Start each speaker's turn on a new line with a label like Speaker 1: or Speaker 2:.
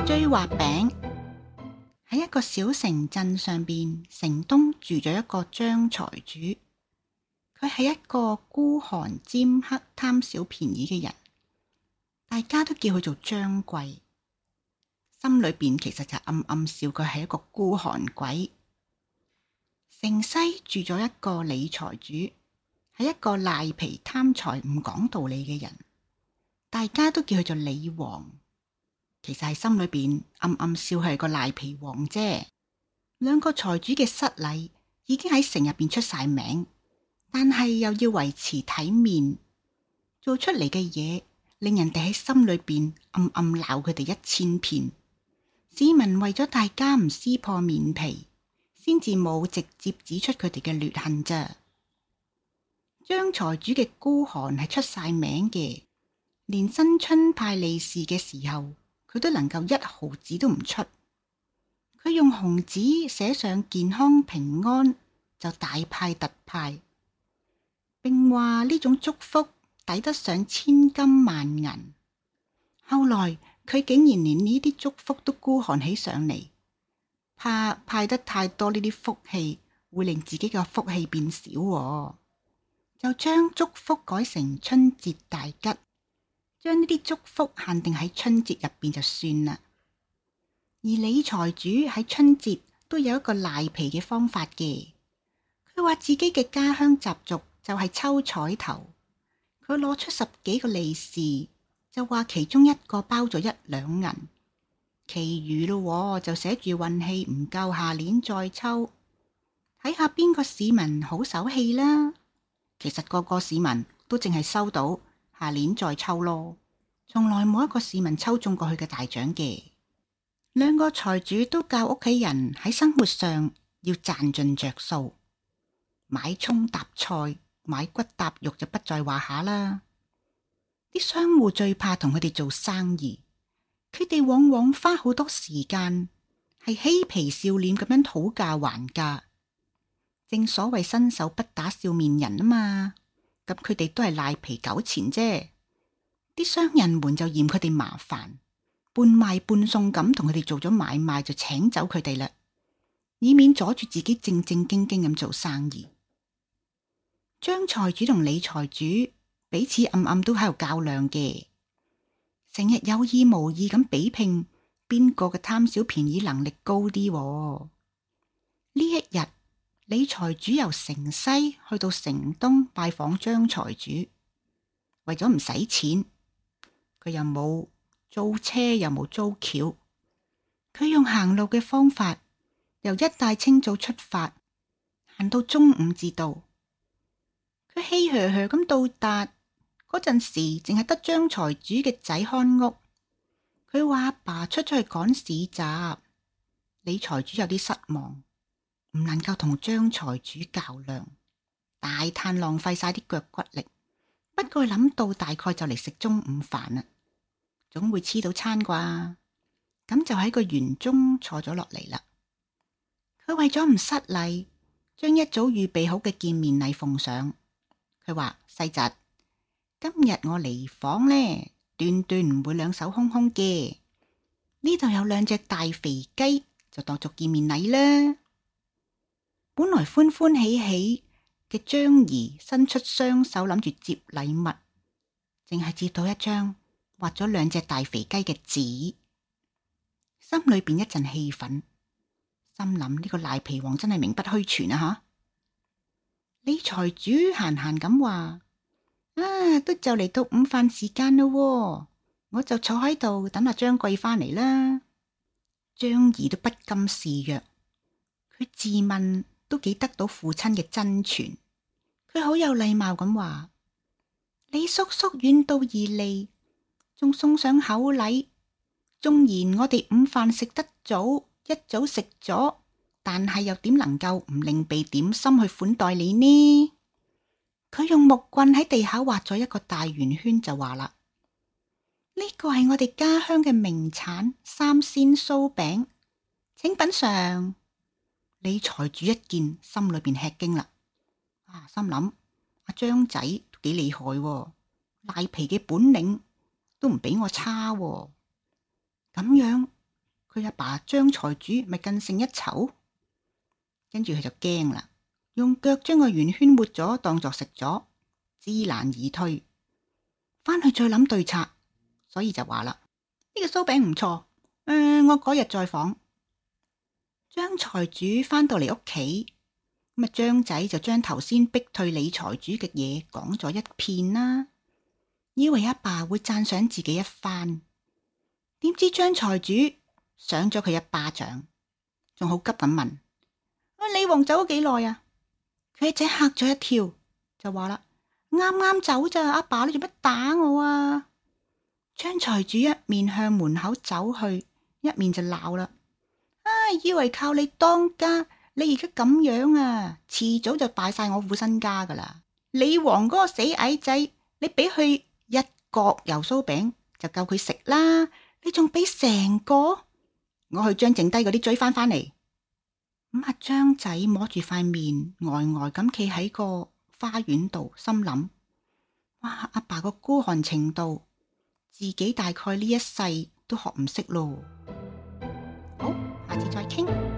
Speaker 1: 追畫餅。喺一個小城鎮上邊，城東住咗一個張財主。佢係一個孤寒尖刻、貪小便宜嘅人，大家都叫佢做張貴。心裏邊其實就暗暗笑佢係一個孤寒鬼。城西住咗一個李財主，係一個賴皮貪財唔講道理嘅人，大家都叫佢做李王。其實係心裏邊暗暗笑係個賴皮王啫。兩個財主嘅失禮已經喺城入邊出晒名，但係又要維持體面，做出嚟嘅嘢令人哋喺心裏邊暗暗鬧佢哋1000遍。市民為咗大家唔撕破面皮，先至冇直接指出佢哋嘅劣行咋。張財主嘅孤寒係出晒名嘅，連新春派利是嘅時候，佢都能夠1毫子都唔出。佢用紅紙寫上健康平安，就大派特派，並話呢種祝福抵得上千金萬銀。後來佢竟然連呢啲祝福都孤寒起上嚟，怕派得太多呢啲福氣會令自己嘅福氣變少，就將祝福改成春節大吉，將呢啲祝福限定喺春節入邊就算啦。而李財主喺春節都有一個賴皮嘅方法嘅，佢話自己嘅家鄉習俗就係抽彩頭，佢攞出10幾個利是，就話其中一個包咗1兩銀，其餘咯就寫住運氣唔夠，下年再抽，睇下邊個市民好手氣啦。其實個個市民都淨係收到下年再抽咯，從來冇一個市民抽中過佢嘅大獎嘅。兩個財主都教屋企人喺生活上要賺盡着數，買蔥搭菜，買骨搭肉就不在話下啦。啲商戶最怕同佢哋做生意，佢哋往往花好多時間係嬉皮笑臉咁樣討價還價。正所謂伸手不打笑面人啊嘛，咁佢哋都係賴皮糾纏啫。啲商人們就嫌佢哋麻煩，半賣半送咁同佢哋做咗買賣，就請走佢哋啦，以免阻住自己正正經經咁做生意。張財主同李財主彼此暗暗都喺度較量嘅，成日有意無意咁比拼邊個嘅貪小便宜能力高啲。呢一日，李財主由城西去到城東拜訪張財主，為咗唔使錢，佢又冇租車又冇租轎，佢用行路嘅方法，由一大清早出發，行到中午至到。佢氣噓噓咁到達嗰陣時，淨係得張財主嘅仔看屋。佢話阿爸出咗去趕市集。李財主有啲失望，唔能夠同張財主較量，大嘆浪費晒啲腳骨力。不過諗到大概就嚟食中午飯啦，總會黐到餐啩，咁就喺個園中坐咗落嚟啦。佢為咗唔失禮，將一早預備好嘅見面禮奉上。佢話：細侄，今日我嚟訪呢，斷斷唔會兩手空空嘅。呢度有2隻大肥雞，就當作見面禮啦。本來歡歡喜喜嘅張姨伸出雙手諗住接禮物，淨係接到一張畫咗2隻大肥雞嘅紙，心裏邊一陣氣憤，心諗呢個賴皮王真係名不虛傳啊！吓，李財主閒閒咁話：都就嚟到午飯時間咯，我就坐喺度等阿張貴返嚟啦。張姨都不甘示弱，佢自問都幾得到父親嘅真傳，佢好有禮貌咁話：李叔叔遠道而嚟，仲送上口禮，縱然我哋午飯食得早，一早食咗，但係又點能夠唔另備點心去款待你呢？佢用木棍喺地下畫咗一個大圓圈，就話啦：呢個係我哋家鄉嘅名產3鮮酥餅，請品嘗。李財主一見，心裏邊吃驚啦，心諗阿張仔都幾厲害喎，賴皮嘅本領都唔比我差喎。咁樣佢阿爸張財主咪更勝一籌。跟住佢就驚啦，用腳將個圓圈抹咗，當作食咗，知難而退，翻去再諗對策。所以就話啦，呢個酥餅唔錯，我嗰日再訪。張財主翻到嚟屋企，咁張仔就將頭先逼退李財主嘅嘢講咗一遍啦，以為阿爸會讚賞自己一番，點知張財主賞咗佢一巴掌，仲好急咁問：李王走咗幾耐啊？佢仔嚇咗一跳，就話啦：啱啱走咋，阿爸你做乜打我啊？張財主一面向門口走去，一面就鬧啦：以為靠你當家，你而家咁樣啊，遲早就敗晒我副身家噶啦！李王嗰個死矮仔，你俾佢一角油酥餅就夠佢食啦，你仲俾成個？我去將剩低嗰啲追翻嚟。咁阿張仔摸住塊面，呆呆咁企喺個花園度，心諗：哇，阿爸個孤寒程度，自己大概呢一世都學唔識咯。好，下次再傾。